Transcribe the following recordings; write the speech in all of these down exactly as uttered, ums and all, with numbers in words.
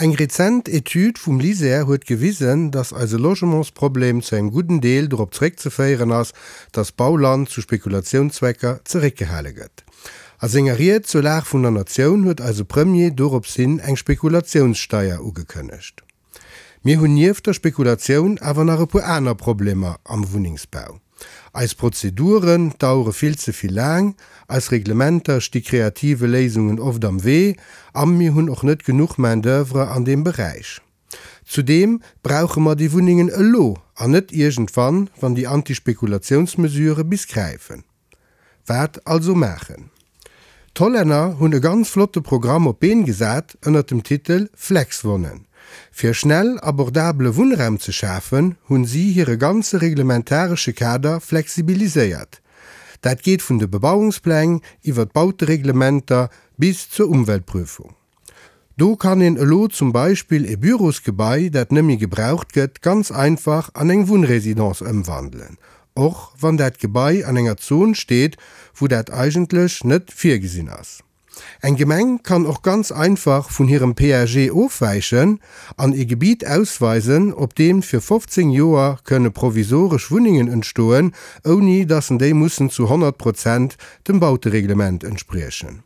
Eng rezent Etüd vum LISER huet gewisen, dass eise Logementsproblem zu engem gudden Deel dorop zeréckzeféieren ass, dass Bauland zu Spekulatiounszwecker zeréckgehale gëtt. A senger Ried zur Lag vun der Natioun huet eise Premier dorops hin eng Spekulatiounssteier ugekënnegt. Mir hunn nieft der Spekulatioun awer nach e puer aner Problemer am Wunnengsbau. Eis Prozeduren dauere vill ze vill laang, eis Reglementer sti kreative Léisungen oft am Wee a mir hunn och net genuch Main d'oeuvre an deem Beräich. Zudeem brauche mer déi Wunnengen elo an net iergendwann, wann déi Antispekulatiounsmesurë bis gräifen. Wat also maachen? D'Hollänner hunn e ganz flotte Programm op d'Been gesat ënnert dem Titel Flexwohnen. Fir schnell abordabele Wunnraum ze schafen, hunn si hire ganze reglementaresche Kader flexibiliséiert. Dat geet vun de Bebauungspläng iwwer d'Bautereglementer bis zur Umweltprüfung. Do kann een elo zum Beispill e Bürosgebai, dat net méi gebraucht gëtt, ganz einfach an eng Wunnresidence ëmwandelen, och wann dat Gebai an enger Zon steet, wou dat eigentlech net virgesinn ass. Eng Gemeng kann och ganz einfach vun hirem P A G ofwäichen an e Gebiet ausweisen, op deem fir fofzéng Joer kënne provisoresch Wunnengen entstoen, ouni dass en déi mussen zu honnert Prozent dem Bautereglement entspriechen.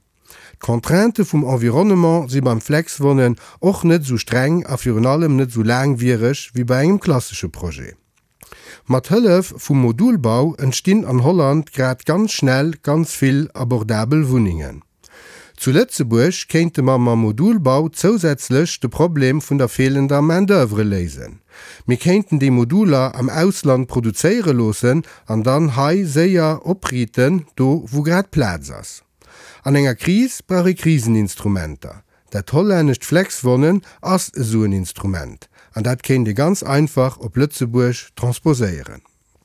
D'Contrainte vum Environnement si beim Flexwohnen och net sou streng a virun allem net sou laangwiereg wéi bei engem klassesche Projet. Mat Hëllef vum Modulbau entstinn an Holland grad ganz schnell ganz vill abordabel Wunnengen. Zu Lëtzebuerg kéinte mer mam Modulbau zousätzlech de Problem vun der fehlender Main-d'oeuvre léisen. Mir kéinten déi Moduler am Ausland produzéiere loossen an dann hei séier opriiten, do wou grad Plaz ass. An enger Kris brauch ee Kriseninstrumenter. Dat hollännescht Flexwohnen ass esou en Instrument an dat kéint ee ganz einfach op Lëtzebuerg transposéieren.